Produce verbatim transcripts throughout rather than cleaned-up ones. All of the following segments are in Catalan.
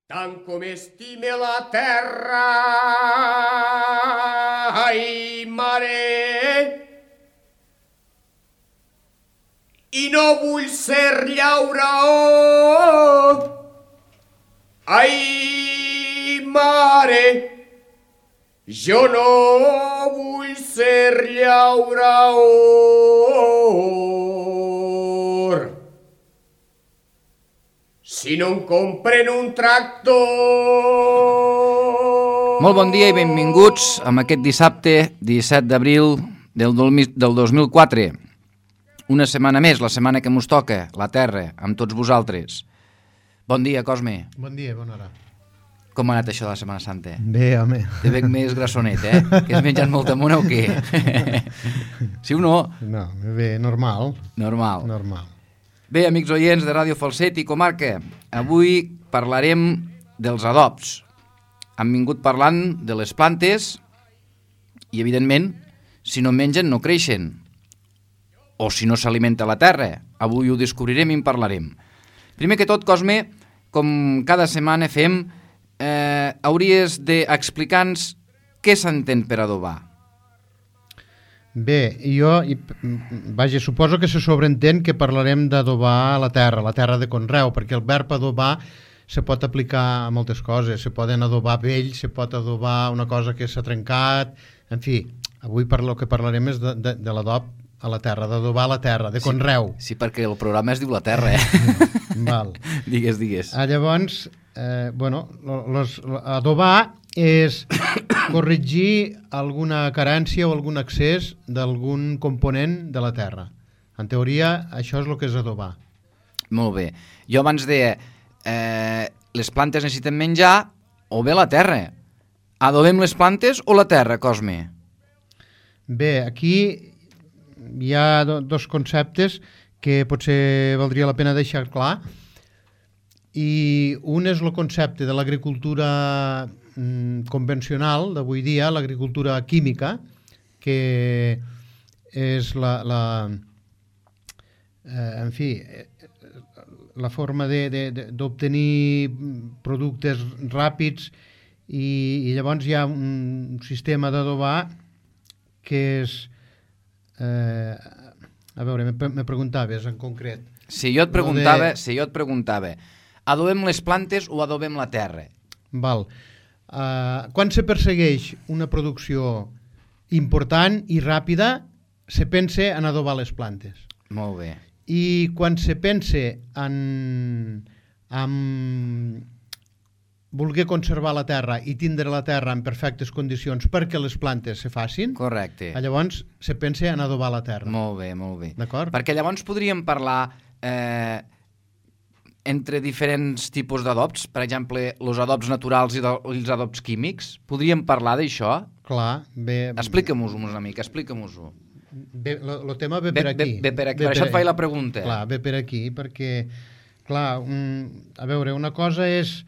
Tant com estime la terra, ai, mare, i no vull ser llauraor, ai, mare, jo no vull ser llauraor. Si no em compren un tractor... Molt bon dia i benvinguts amb aquest dissabte disset d'abril del dos mil quatre. Una setmana més, la setmana que mos toca, la Terra, amb tots vosaltres. Bon dia, Cosme. Bon dia, bona hora. Com ha anat això de la Setmana Santa? Bé, home. Te veig més grassonet, eh? Que has menjat molta mona o què? Sí o no? No, bé, normal. Normal. Normal. Bé, amics oients de Ràdio Falset i Comarca, avui parlarem dels adobs. Hem vingut parlant de les plantes i, evidentment, si no mengen no creixen. O si no s'alimenta la terra. Avui ho descobrirem i en parlarem. Primer que tot, Cosme, com cada setmana fem, eh, hauries d'explicar-nos què s'entén per adobar. Bé, jo, vaja, suposo que se sobreentén que parlarem d'adobar la terra, la terra de conreu, perquè el verb adobar se pot aplicar a moltes coses. Se poden adobar vells, se pot adobar una cosa que s'ha trencat, en fi, avui per lo que parlarem és de, de, de l'adob a la terra, d'adobar la terra, de conreu. Sí, sí, perquè el programa es diu La Terra, eh? Val. Digues, digues. Ah, llavors, eh, bueno, los, adobar és corregir alguna carència o algun excés d'algun component de la terra. En teoria, això és el que és adobar. Molt bé. Jo abans deia, eh, les plantes necessiten menjar o bé la terra. Adobem les plantes o la terra, Cosme? Bé, aquí hi ha do, dos conceptes que potser valdria la pena deixar clar. I un és el concepte de l'agricultura mm, convencional d'avui dia, l'agricultura química, que és la, la eh, en fi, la forma d'obtenir productes ràpids i, i llavors hi ha un sistema d'adobar que és eh, a veure, me, me preguntaves en concret. Si jo et preguntava, de... si jo et preguntava adobem les plantes o adobem la terra? Val. Uh, quan se persegueix una producció important i ràpida, se pensa en adobar les plantes. Molt bé. I quan se pensa en, en voler conservar la terra i tindre la terra en perfectes condicions perquè les plantes se facin, correcte, llavors se pensa en adobar la terra. Molt bé, molt bé. D'acord? Perquè llavors podríem parlar eh, entre diferents tipus d'adobs, per exemple, els adobs naturals i, de, i els adobs químics. Podríem parlar d'això? Clar, bé... Explica-mos-ho una mica, explica-mos-ho. El tema ve per bé, aquí. Bé, bé per aquí, per això et faig la pregunta. Clar, ve per aquí, perquè, clar, un, a veure, una cosa és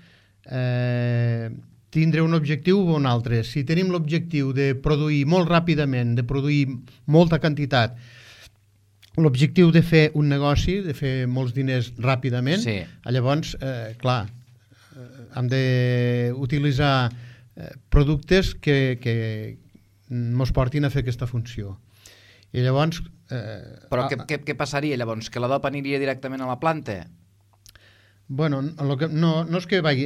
eh, tindre un objectiu o un altre. Si tenim l'objectiu de produir molt ràpidament, de produir molta quantitat, l'objectiu de fer un negoci, de fer molts diners ràpidament, sí. Llavors, eh, clar, eh, hem d'utilitzar eh, productes que, que ens portin a fer aquesta funció. I llavors... Eh, Però què, què, què passaria llavors? Que l'adob aniria directament a la planta? Bueno, lo que, no, no és que vagi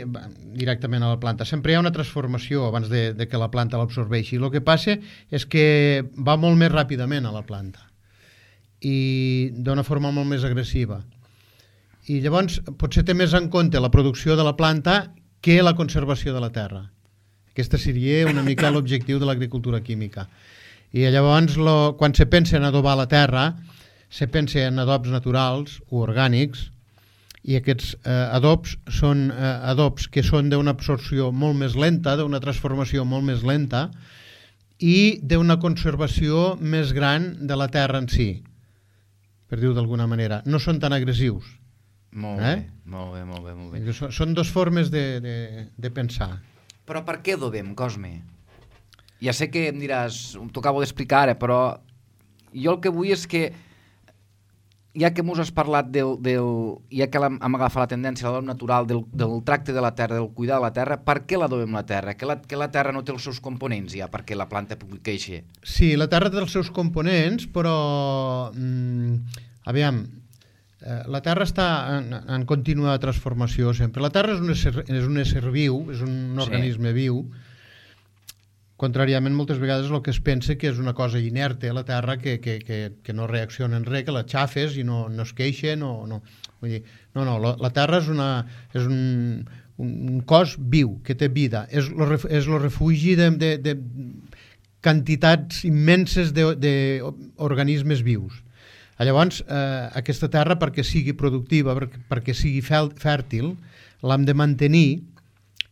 directament a la planta, sempre hi ha una transformació abans de, de que la planta l'absorbeixi. El que passa és que va molt més ràpidament a la planta i d'una forma molt més agressiva. I llavors potser té més en compte la producció de la planta que la conservació de la terra. Aquesta seria una mica l'objectiu de l'agricultura química. I llavors, lo, quan se pensa en adobar la terra, se pensa en adobs naturals o orgànics, i aquests eh, adobs són eh, adobs que són d'una absorció molt més lenta, d'una transformació molt més lenta i d'una conservació més gran de la terra en si, per dir-ho d'alguna manera. No són tan agressius. Molt eh? bé, molt bé, molt bé, molt bé. Són, són dues formes de, de, de pensar. Però per què adobem, Cosme? Ja sé que em diràs, t'ho acabo d'explicar ara, però jo el que vull és que ja que mos has parlat del, del ja que hem agafat la tendència a l'adob natural del, del tracte de la terra, del cuidar de la terra, per què l'adobem la terra? Que la, que la terra no té els seus components ja perquè la planta pugui créixer? Sí, la terra té els seus components, però mm, aviam, eh, la terra està en, en contínua transformació sempre. La terra és un ésser, és un ésser viu, és un organisme sí. viu. Contràriament, moltes vegades el que es pensa que és una cosa inerte, la Terra, que, que, que, que no reacciona en res, que la xafes i no, no es queixa, no, no. Vull dir, no, no, la, la Terra és, una, és un, un cos viu, que té vida, és el refugi de, de, de quantitats immenses d'organismes vius. Llavors, eh, aquesta terra, perquè sigui productiva, perquè, perquè sigui fèrtil, l'hem de mantenir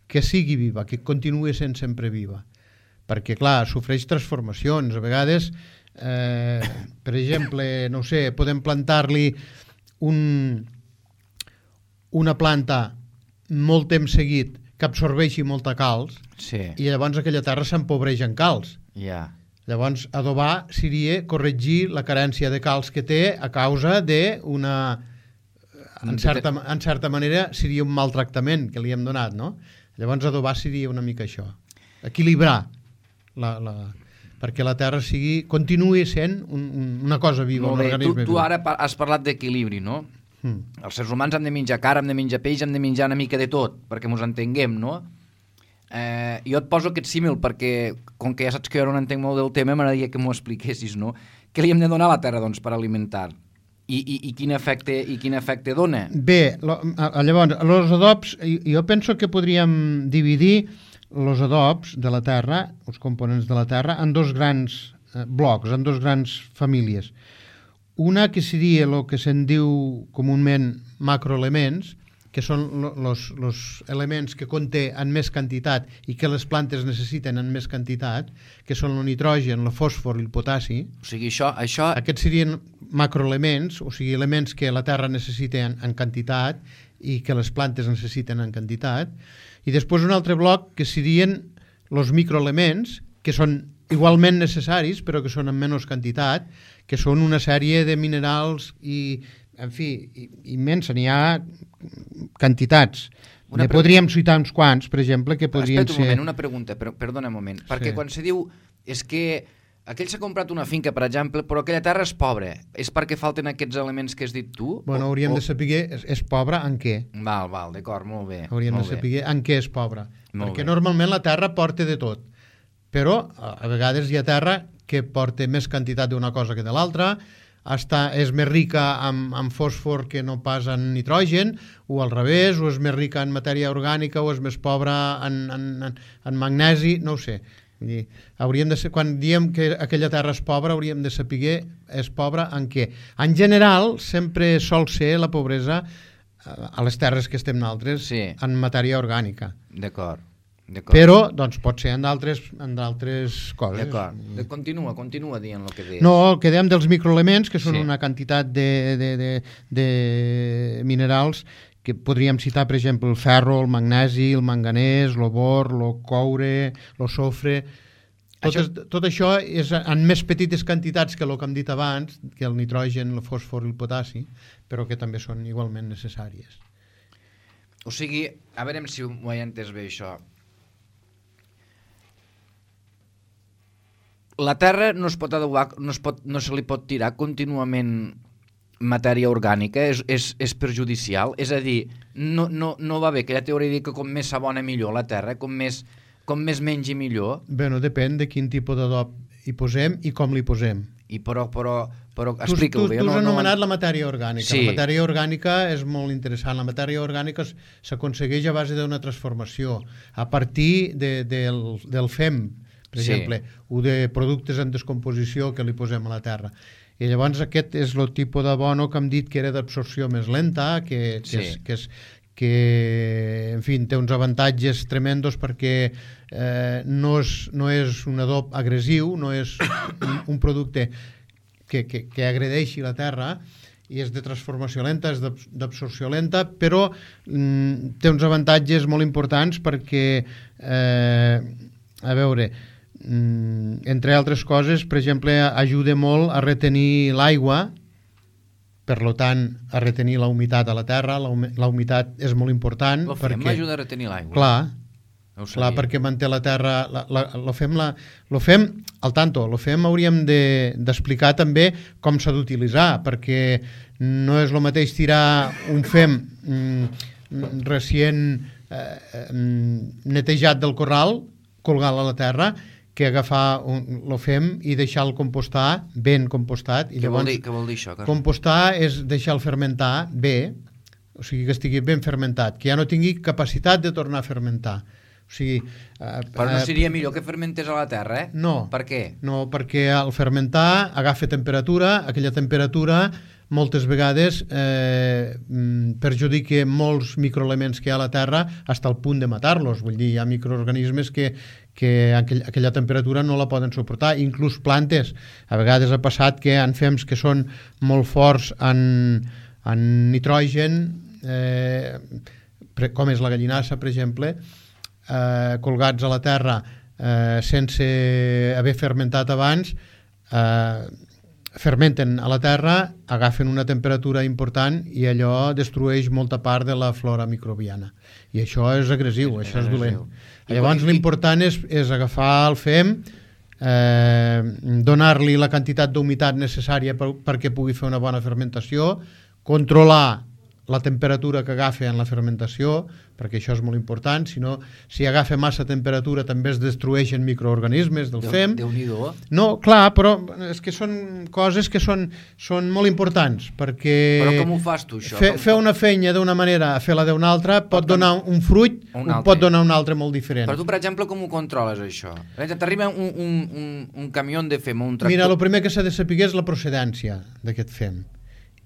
que sigui viva, que continuï sent sempre viva. Perquè, clar, sofreix transformacions. A vegades, eh, per exemple, no ho sé, podem plantar-li un, una planta molt temps seguit que absorbeixi molta calç sí. i llavors aquella terra s'empobreix en calç. Yeah. Llavors, adobar seria corregir la carència de calç que té a causa d'una... En certa, en certa manera seria un maltractament que li hem donat, no? Llavors, adobar seria una mica això. Equilibrar. La, la, perquè la terra sigui, continuï sent un, un, una cosa viva, un organisme tu, tu ara has parlat d'equilibri, no? Mm. Els éssers humans hem de menjar carn, hem de menjar peix, hem de menjar una mica de tot, perquè ens entenguem, no? Eh, jo et poso aquest símil perquè, com que ja saps que jo no entenc molt del tema, m'agradaria que m'ho expliquessis, no? Què li hem de donar a la terra, doncs, per alimentar? I, i, i, quin, efecte, i quin efecte dona? Bé, lo, llavors, els adobs, jo penso que podríem dividir els adobs de la terra, els components de la terra, en dos grans eh, blocs, en dos grans famílies. Una que seria el que se'n diu comúment macroelements, que són els elements que conté en més quantitat i que les plantes necessiten en més quantitat, que són el nitrogen, el fòsfor i el potassi. O sigui, això... això... Aquests serien macroelements, o sigui, elements que la terra necessita en, en quantitat i que les plantes necessiten en quantitat. I després un altre bloc que serien els microelements, que són igualment necessaris, però que són en menys quantitat, que són una sèrie de minerals i, en fi, immensa, n'hi ha quantitats. Ne podríem citar uns quants, per exemple, que podrien ser... Espera un moment, una pregunta, però, perdona un moment, perquè sí. Quan se diu és que aquell s'ha comprat una finca, per exemple, però aquella terra és pobra, és perquè falten aquests elements que has dit tu? Bueno, hauríem o... de saber és, és pobra en què. Val, val, d'acord, molt bé. Hauríem molt de saber bé. En què és pobra. Molt perquè bé. Normalment la terra porta de tot, però a vegades hi ha terra que porta més quantitat d'una cosa que de l'altra, està, és més rica en, en fòsfor que no pas en nitrogen, o al revés, o és més rica en matèria orgànica, o és més pobra en, en, en, en magnesi, no ho sé. Dir, hauríem de ser, quan diem que aquella terra és pobra, hauríem de saber és pobra en què. En general, sempre sol ser la pobresa a les terres que estem nosaltres sí. En matèria orgànica. D'acord. Però, doncs, pot ser en d'altres en d'altres coses. D'acord. De, continua, continua dient el que deies. No, el que dèiem dels microelements, que són sí. Una quantitat de, de, de, de minerals que podríem citar, per exemple, el ferro, el magnesi, el manganès, el bor, el coure, el sofre... Tot, això... Es, tot això és en més petites quantitats que el que hem dit abans, que el nitrogen, el fòsfor i el potassi, però que també són igualment necessàries. O sigui, a veure si ho he entès bé, això. La terra no es pot adobar, no, es pot, no se li pot tirar contínuament matèria orgànica, és, és, és perjudicial, és a dir, no, no, no va bé, que ja teoria dir que com més s'abona millor la terra, com més, com més mengi millor. Bé, no depèn de quin tipus d'adob hi posem i com li posem. I però, però, però explica-ho bé. Tu, tu, tu has no, anomenat no... la matèria orgànica. Sí. La matèria orgànica és molt interessant. La matèria orgànica s'aconsegueix a base d'una transformació, a partir de, del, del fem, per sí. exemple, o de productes en descomposició que li posem a la terra. I llavors aquest és el tipus d'abono que hem dit que era d'absorció més lenta, que, que, sí. és, que, és, que en fi, té uns avantatges tremendos perquè eh, no, és, no és un adob agressiu, no és un, un producte que, que, que agredeixi la terra, i és de transformació lenta, és d'absorció lenta, però mm, té uns avantatges molt importants perquè, eh, a veure... Mm, entre altres coses, per exemple, ajuda molt a retenir l'aigua per lo tant, a retenir la humitat a la terra. La, humi la humitat és molt important. Lo fem perquè, ajuda a retenir l'aigua. Clar, no clar, perquè manté la terra... La, la, lo fem, la, lo fem al tanto, lo fem hauríem d'explicar de, també com s'ha d'utilitzar, perquè no és el mateix tirar un fem mm, recient eh, netejat del corral, colgar-lo a la terra, que agafar un, lo fem i deixar-lo compostar ben compostat. I què, llavors, vol dir, què vol dir això, Carles? compostar és deixar-lo fermentar bé, o sigui que estigui ben fermentat, que ja no tingui capacitat de tornar a fermentar. O sigui, eh, Però no seria millor que fermentés a la terra, eh? No. Per què? No, perquè al fermentar agafa temperatura, aquella temperatura moltes vegades eh, perjudica molts microelements que hi ha a la terra fins al punt de matar-los. Vull dir, hi ha microorganismes que, que aquell, aquella temperatura no la poden suportar. Inclús plantes. A vegades ha passat que en fems que són molt forts en, en nitrogen, eh, com és la gallinassa, per exemple, eh, colgats a la terra eh, sense haver fermentat abans, eh, fermenten a la terra, agafen una temperatura important i allò destrueix molta part de la flora microbiana. I això és agressiu, és, això és dolent. I llavors l'important és, és agafar el fem, eh, donar-li la quantitat d'humitat necessària per, perquè pugui fer una bona fermentació, controlar la temperatura que agafa en la fermentació, perquè això és molt important, si no, si agafa massa temperatura també es destrueixen microorganismes del fem. Déu-n'hi-do. No, clar, però és que són coses que són, són molt importants, perquè... Però com ho fas tu, això? Fer, fer una feina d'una manera, fer-la d'una altra, pot donar un fruit, un pot donar un altre molt diferent. Però tu, per exemple, com ho controles, això? T'arriba un, un, un, un camió de fem o un tractor... Mira, el primer que s'ha de saber és la procedència d'aquest fem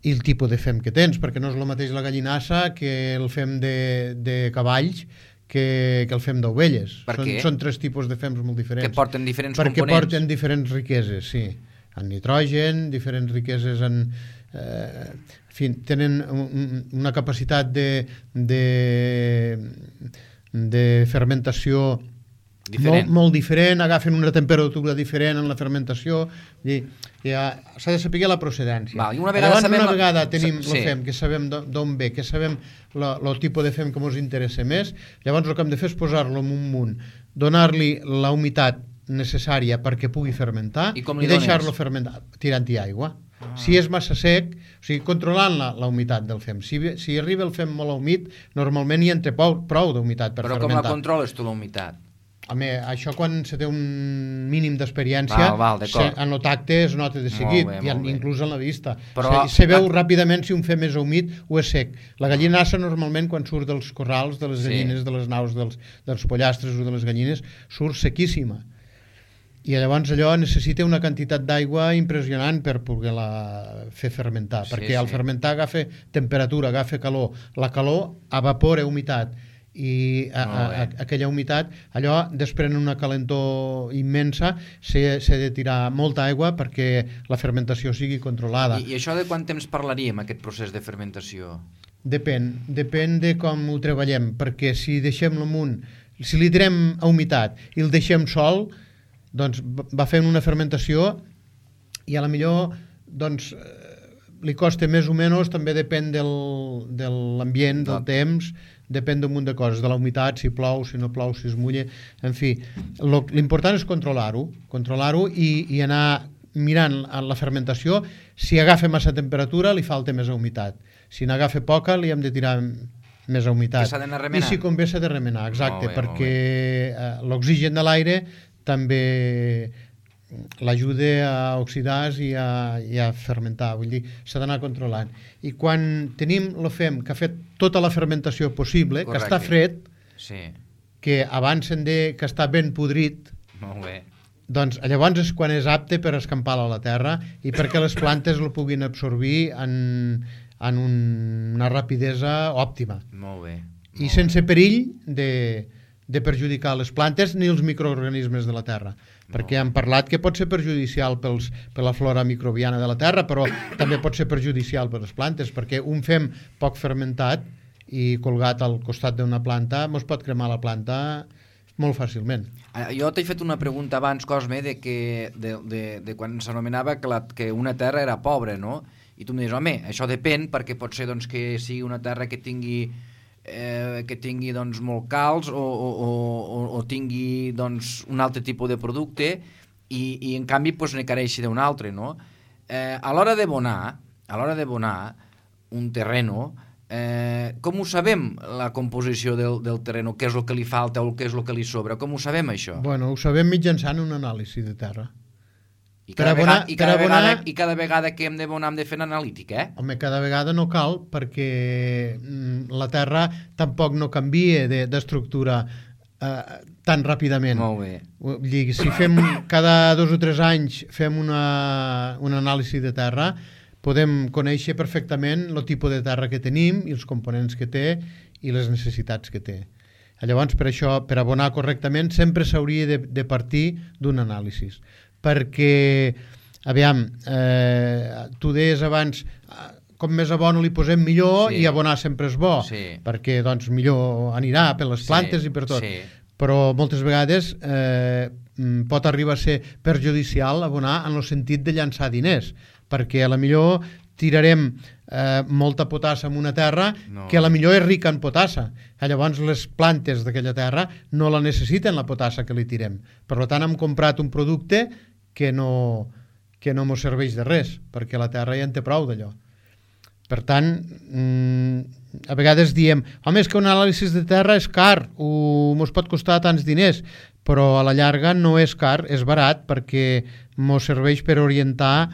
i el tipus de fem que tens, perquè no és el mateix la gallinassa que el fem de, de cavalls que, que el fem d'ovelles. Per són, què? Són tres tipus de fems molt diferents. Que porten diferents perquè components. Perquè porten diferents riqueses, sí. En nitrogen, diferents riqueses en... Eh, en fi, tenen un, una capacitat de, de, de fermentació molt, molt diferent, agafen una temperatura diferent en la fermentació, i ja s'ha de saber la procedència. Val, i una vegada, Llavors, sabem una vegada la... tenim sí. el fem, que sabem d'on ve, que sabem el tipus de fem que ens interessa més, llavors el que hem de fer és posar-lo en un munt, donar-li la humitat necessària perquè pugui fermentar i, i deixar-lo fermentar tirant-hi aigua. Ah. Si és massa sec, o sigui, controlant la, la humitat del fem. Si, si arriba el fem molt humit, normalment hi entra prou, prou d'humitat per Però fermentar. Però com la controles tu, la humitat? Home, això quan se té un mínim d'experiència, en el tacte es nota de seguit, bé, i en, inclús en la vista. Però, se, se veu la... ràpidament si un fem és humit o és sec. La gallinassa normalment quan surt dels corrals, de les gallines, sí. de les naus, dels, dels pollastres o de les gallines, surt sequíssima. I llavors allò necessita una quantitat d'aigua impressionant per poder-la fer fermentar, sí, perquè sí. al fermentar agafa temperatura, agafa calor. La calor evapora humitat, i a, a, a, aquella humitat allò desprèn una calentor immensa, s'ha de tirar molta aigua perquè la fermentació sigui controlada. I, i això de quant temps parlaríem, aquest procés de fermentació? Depèn, depèn de com ho treballem, perquè si deixem l'amunt, si li tirem a humitat i el deixem sol, doncs va fent una fermentació i a la millor doncs li costa més o menys, també depèn del, de l'ambient, del no. temps, depèn d'un munt de coses, de la humitat, si plou, si no plou, si es mulla, en fi. L'important és controlar-ho, controlar-ho i, i anar mirant la fermentació. Si agafa massa temperatura, li falta més humitat. Si n'agafa poca, li hem de tirar més humitat. Que s'ha d'anar remenant? I si convé s'ha de remenar, exacte, bé, perquè l'oxigen de l'aire també l'ajuda a oxidar i a, i a fermentar, vull dir, s'ha d'anar controlant. I quan tenim el fem que ha fet tota la fermentació possible, correcte, que està fred, sí. que abans se'n de que està ben podrit, molt bé. Doncs llavors és quan és apte per escampar-lo a la terra i perquè les plantes el puguin absorbir en, en un, una rapidesa òptima. Molt bé. Molt I sense perill de, de perjudicar les plantes ni els microorganismes de la terra. Perquè hem parlat que pot ser perjudicial pels, per la flora microbiana de la terra, però també pot ser perjudicial per les plantes, perquè un fem poc fermentat i colgat al costat d'una planta mos pot cremar la planta molt fàcilment. Jo t'he fet una pregunta abans, Cosme, de, que, de, de, de quan s'anomenava que, la, que una terra era pobra, no? I tu em dius, home, això depèn, perquè pot ser doncs, que sigui una terra que tingui, eh, que tingui doncs, molt calç o, o, o, o tingui doncs, un altre tipus de producte i, i en canvi doncs, ne careixi d'un altre, no? Eh, a l'hora d'abonar, a l'hora d'abonar un terreno, eh, com ho sabem, la composició del, del terreno? Què és el que li falta o què és el que li sobra? Com ho sabem, això? Bueno, ho sabem mitjançant un anàlisi de terra. I cada, abonar, vegada, i, cada abonar... vegada, I cada vegada que hem d'abonar hem de fer analítica, eh? Home, cada vegada no cal, perquè la terra tampoc no canvia d'estructura eh, tan ràpidament. Molt bé. Vull dir, si fem cada dos o tres anys fem una, una anàlisi de terra, podem conèixer perfectament el tipus de terra que tenim i els components que té i les necessitats que té. Llavors, per això, per abonar correctament, sempre s'hauria de, de partir d'un anàlisi. Perquè, aviam, eh, tu deies abans, com més abono li posem millor, sí. I abonar sempre és bo, sí. Perquè doncs millor anirà per les plantes sí. I per tot. Sí. Però moltes vegades eh, pot arribar a ser perjudicial abonar en el sentit de llançar diners, perquè a la millor tirarem eh, molta potassa en una terra no. Que a la millor és rica en potassa. Llavors les plantes d'aquella terra no la necessiten la potassa que li tirem. Per tant hem comprat un producte que no, que no mos serveix de res, perquè la terra ja en té prou d'allò. Per tant, mmm, a vegades diem, home, és que un anàlisi de terra és car, o mos pot costar tants diners, però a la llarga no és car, és barat, perquè mos serveix per orientar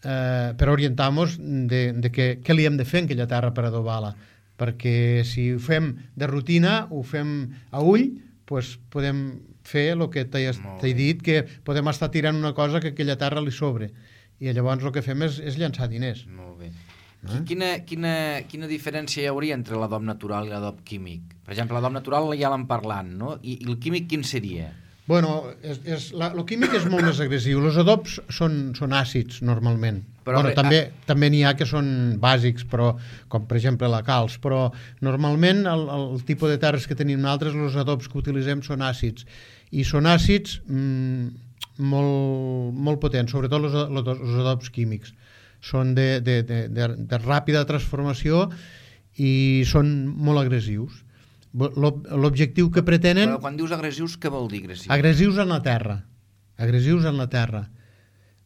eh, per orientar-nos de, de que, què li hem de fer en aquella terra per adobar-la. Perquè si ho fem de rutina, ho fem a ull, doncs podem fer el que t'he dit, que podem estar tirant una cosa que a aquella terra li sobre. I llavors el que fem és, és llançar diners. Molt bé. Eh? Quina, quina, quina diferència hi hauria entre l'adob natural i l'adob químic? Per exemple, l'adob natural ja l'hem parlat, no? I, i el químic quin seria? Bueno, és, és, la, el químic és molt més agressiu. Els adobs són, són àcids, normalment. Però bueno, re, també ah... també n'hi ha que són bàsics, però, com per exemple la calç, però normalment el, el tipus de terres que tenim nosaltres, els adobs que utilitzem són àcids. I són àcids mmm, molt, molt potents, sobretot els, els adobs químics. Són de, de, de, de, de ràpida transformació i són molt agressius. L'objectiu que pretenen... Però quan dius agressius, què vol dir agressius? Agressius en la terra. Agressius en la terra.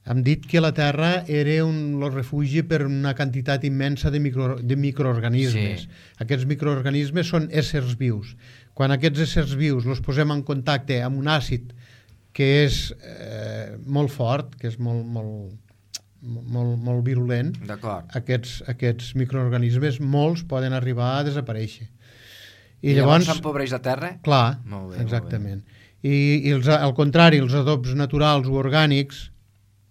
Hem dit que la terra era un el refugi per una quantitat immensa de, micro, de microorganismes. Sí. Aquests microorganismes són éssers vius. Quan aquests éssers vius els posem en contacte amb un àcid que és eh, molt fort, que és molt, molt, molt, molt virulent, aquests, aquests microorganismes, molts poden arribar a desaparèixer. I, I llavors s'empobreix la terra? Clar, molt bé, exactament. Molt bé. I, i els, al contrari, els adobs naturals o orgànics,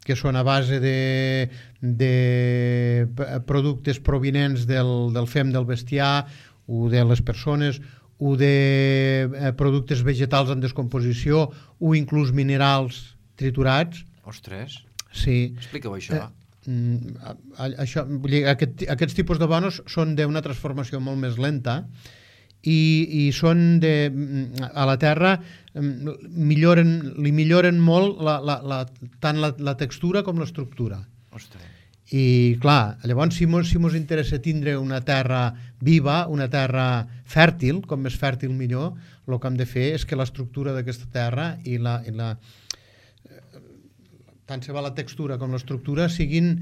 que són a base de, de productes provinents del, del fem del bestiar o de les persones o de eh, productes vegetals en descomposició o inclús minerals triturats. Ostres, sí. Explica-ho això. Eh, això vull dir, aquest, aquests tipus d'abonos són d'una transformació molt més lenta i, i són de, a la terra milloren, li milloren molt la, la, la, tant la, la textura com l'estructura. Ostres. I clar, llavors si mos, si mos interessa tindre una terra viva, una terra fèrtil, com més fèrtil millor, el que hem de fer és que l'estructura d'aquesta terra i la, i la tant se va la textura com l'estructura siguin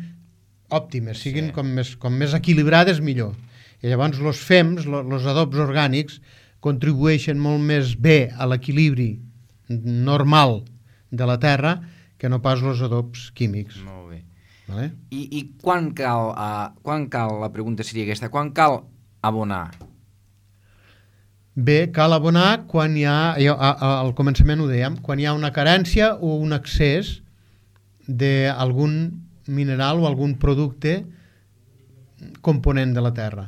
òptimes, siguin sí. com, més, com més equilibrades millor. I llavors els fems, els adobs orgànics, contribueixen molt més bé a l'equilibri normal de la terra que no pas els adobs químics. Molt bé. Vale? I, i quan cal, uh, quan cal, la pregunta seria aquesta, quan cal abonar? Bé, cal abonar quan hi ha, al començament ho dèiem, quan hi ha una carència o un excés d'algun mineral o algun producte component de la terra.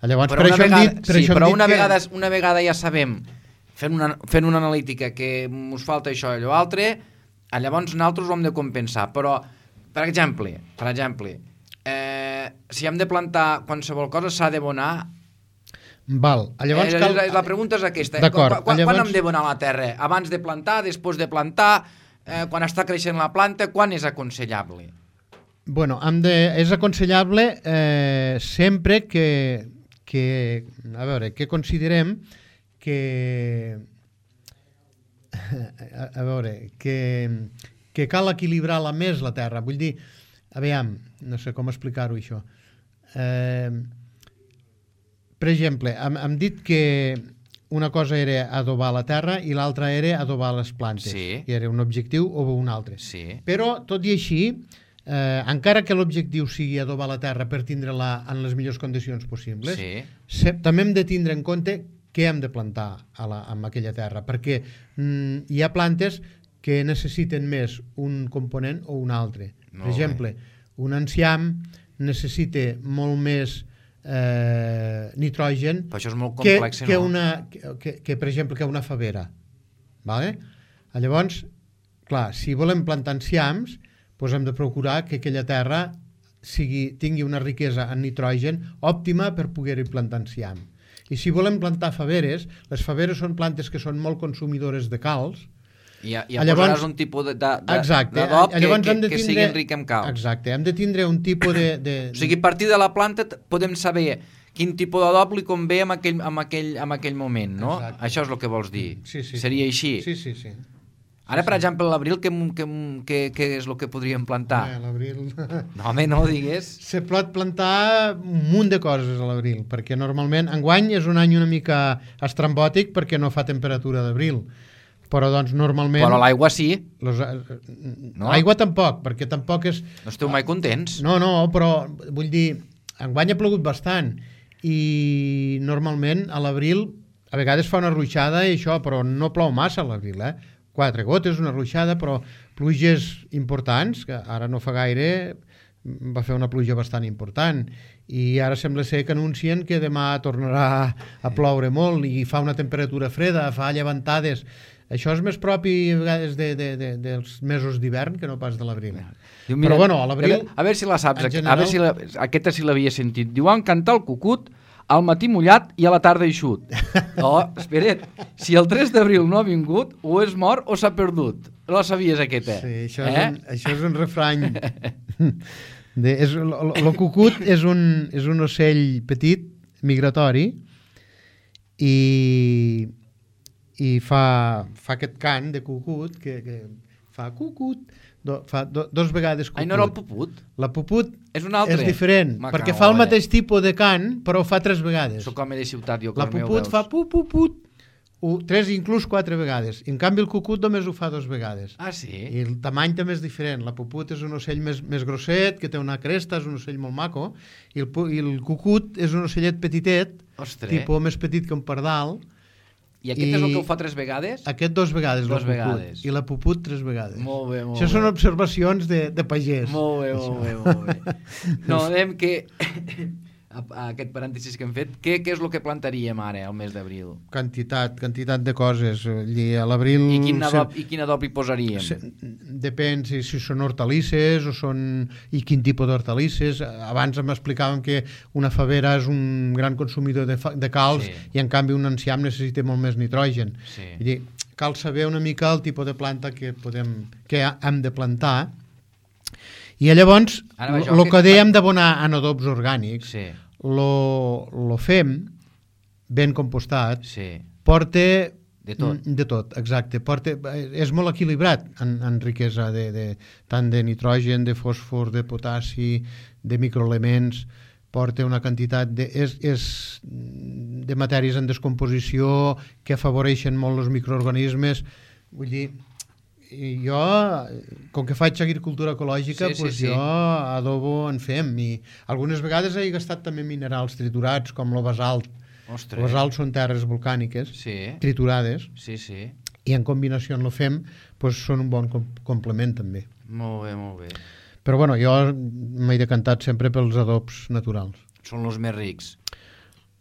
Llavors, però per això vegada, hem dit, per sí, això però hem dit una, que... vegada, una vegada ja sabem, fent una, fent una analítica, que ens falta això i allò altre, llavors nosaltres ho hem de compensar. Però, per exemple, per exemple eh, si hem de plantar qualsevol cosa, s'ha d'abonar. Val. Llavors eh, cal... La pregunta és aquesta. D'acord. Quan, llavors... quan hem d'abonar la terra? Abans de plantar, després de plantar, eh, quan està creixent la planta, quan és aconsellable? Bueno, hem de, és aconsellable eh, sempre que, que, a veure, que considerem que, a, a veure, que, que cal equilibrar-la més la terra. Vull dir, aviam, no sé com explicar-ho això. Eh, per exemple, hem, hem dit que una cosa era adobar la terra i l'altra era adobar les plantes. Sí. I era un objectiu o un altre. Sí. Però, tot i així, eh, encara que l'objectiu sigui adobar la terra per tindre-la en les millors condicions possibles, Sí. se, també hem de tindre en compte què hem de plantar a la, en aquella terra, perquè mm, hi ha plantes que necessiten més un component o un altre. Molt Per exemple, un enciam necessita molt més eh, nitrogen Però això és molt que, complex, que, no? una, que, que, que, per exemple, que una favera. Vale? Llavors, clar, si volem plantar enciams, doncs hem de procurar que aquella terra sigui, tingui una riquesa en nitrogen òptima per poder-hi plantar enciam. I si volem plantar faveres, les faveres són plantes que són molt consumidores de calç. I ja, ja Llavors- posaràs un tipus de- de- de- Exacte. d'adob que, Llavors que, hem de que tindre- sigui ric en calç. Exacte, hem de tindre un tipus de... de... O sigui, a partir de la planta t- podem saber quin tipus d'adob li convé en aquell, en, aquell, en aquell moment, no? Exacte. Això és el que vols dir. Sí, sí. Seria així? Sí, sí, sí. Ara, per exemple, a l'abril, què, què, què, què és el que podríem plantar? Eh, l'abril... No, home, no ho digués. Se pot plantar un munt de coses a l'abril, perquè normalment, enguany és un any una mica estrambòtic perquè no fa temperatura d'abril, però doncs normalment... Però l'aigua sí. Los, No? no? Aigua tampoc, perquè tampoc és... No esteu mai contents? No, no, però vull dir, enguany ha plogut bastant i normalment a l'abril a vegades fa una ruixada i això, però no plou massa a l'abril, eh? Quatre gotes, una ruixada, però pluges importants, que ara no fa gaire va fer una pluja bastant important i ara sembla ser que anuncien que demà tornarà a ploure molt i fa una temperatura freda, fa llevantades. Això és més propi a vegades de, de, de, dels mesos d'hivern que no pas de l'abril. Diu, Però bueno, a l'abril... A veure si la saps, en a veure si la, aquesta sí l'havia sentit. Diuen cantar el cucut al matí mullat i a la tarda eixut. Oh, espera't, si el tres d'abril no ha vingut, o és mort o s'ha perdut. No la sabies, aquesta? Sí, això, eh? és un, això és un refrany. De, és, el, el cucut és un, és un ocell petit, migratori, i, i fa, fa aquest cant de cucut, que, que fa cucut, do, fa do, dos vegades cucut. Ai, no era el puput? La puput És un altre? és diferent, Me perquè cago fa el en mateix tipus de cant, però ho fa tres vegades. Soc home de ciutat, jo, La cor meu, puput veus? fa pu, pu, put, u, tres, inclús quatre vegades. En canvi, el cucut només ho fa dos vegades. Ah, sí? I el tamany també és diferent. La puput és un ocell més, més grosset, que té una cresta, és un ocell molt maco, i el, pu- i el cucut és un ocellet petitet, Ostres. tipus més petit que un pardal. I aquest i- és el que ho fa tres vegades? Aquest dos vegades, Dos la puput, vegades. i la puput tres vegades. Molt bé, molt Això bé. són observacions de, de pagès. Molt bé, molt bé, molt bé. No, dèiem que... a, a aquest parèntesis que hem fet, què, què és el que plantaríem ara, al mes d'abril? Quantitat, quantitat de coses. I a l'abril... I quin se- adob, i quin adob hi posaríem? Se, depèn si, si són hortalisses o són... i quin tipus d'hortalisses. Abans m'explicàvem que una favera és un gran consumidor de, fa, de calç Sí. i en canvi un enciam necessita molt més nitrogen. Sí. Vull dir, cal saber una mica el tipus de planta que, podem, que hem de plantar. I llavors, Ara va, jo, el que- que dèiem d'abonar en adobs orgànics, Sí, lo, lo fem ben compostat, sí. porta De tot. Mm, de tot, exacte. Porta, és molt equilibrat en, en riquesa de, de, tant de nitrogen, de fòsfor, de potassi, de microelements, porta una quantitat de, és, és de matèries en descomposició que afavoreixen molt els microorganismes. Vull dir, i jo, com que faig agricultura ecològica, Sí, sí, pues sí. jo adobo en fem, i algunes vegades he gastat també minerals triturats, com el basalt. Ostres. El basalt són terres volcàniques, Sí, triturades, sí, sí. i en combinació amb el fem doncs són un bon com complement també. Molt bé, molt bé. Però bueno, jo m'he decantat sempre pels adobs naturals. Són els més rics.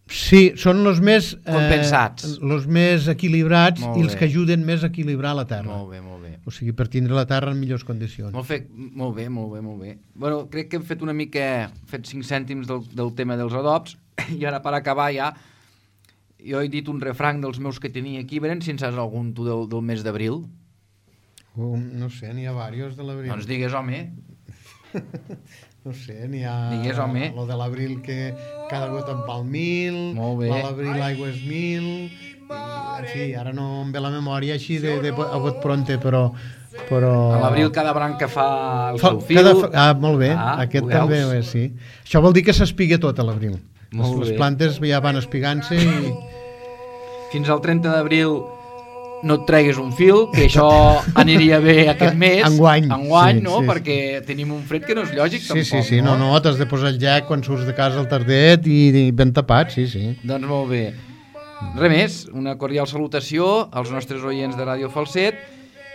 Sí, són els més... Compensats. Eh, els més equilibrats Molt i els bé. que ajuden més a equilibrar la terra. Molt bé, molt bé. O sigui, per tindre la terra en millors condicions. Molt, fe... molt bé, molt bé, molt bé. Bueno, crec que hem fet una mica... Hem fet cinc cèntims del, del tema dels adobs i ara per acabar ja jo he dit un refrany dels meus que tenia aquí. Veren si en saps algun tu del, del mes d'abril? Um, no sé, n'hi ha diversos de l'abril. Doncs digues, home. No sé, n'hi ha... Digues, home. Lo de l'abril que cada gota en val mil, Molt bé. l'abril l'aigua és mil, i, en fi, ara no em ve la memòria així de, de, a bot pronte, però... però... A l'abril cada branca fa el Fa, seu fil. cada, ah, molt bé, Ah, aquest ho veus? també ho és, sí. Això vol dir que s'espiga tot a l'abril. Les, Molt les bé. plantes ja van espigant-se i... Fins al trenta d'abril no et treguis un fil, que això aniria bé aquest mes. Enguany. Enguany, Sí, no? sí, sí. Perquè tenim un fred que no és lògic, Sí, tampoc. sí, sí, no, no, t'has de posar el jack quan surts de casa al tardet i, i ben tapat, sí, sí. Doncs molt bé. Res més, una cordial salutació als nostres oients de Ràdio Falset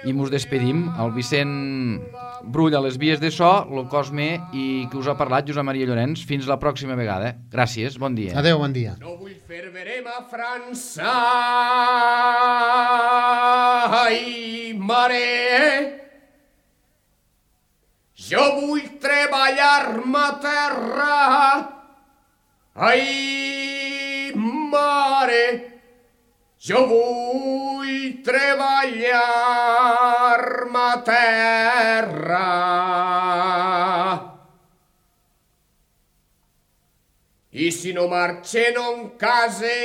i mos despedim. El Vicent Brull a les vies de so, el Cosme i qui us ha parlat, Josep Maria Llorenç. Fins la pròxima vegada. Gràcies, bon dia. Adéu, bon dia. No vull fer verema a França. Ai, mare. Jo vull treballar-me a terra. Ai, mare. Jo vull treballar-me a terra. I si no marxe no em case.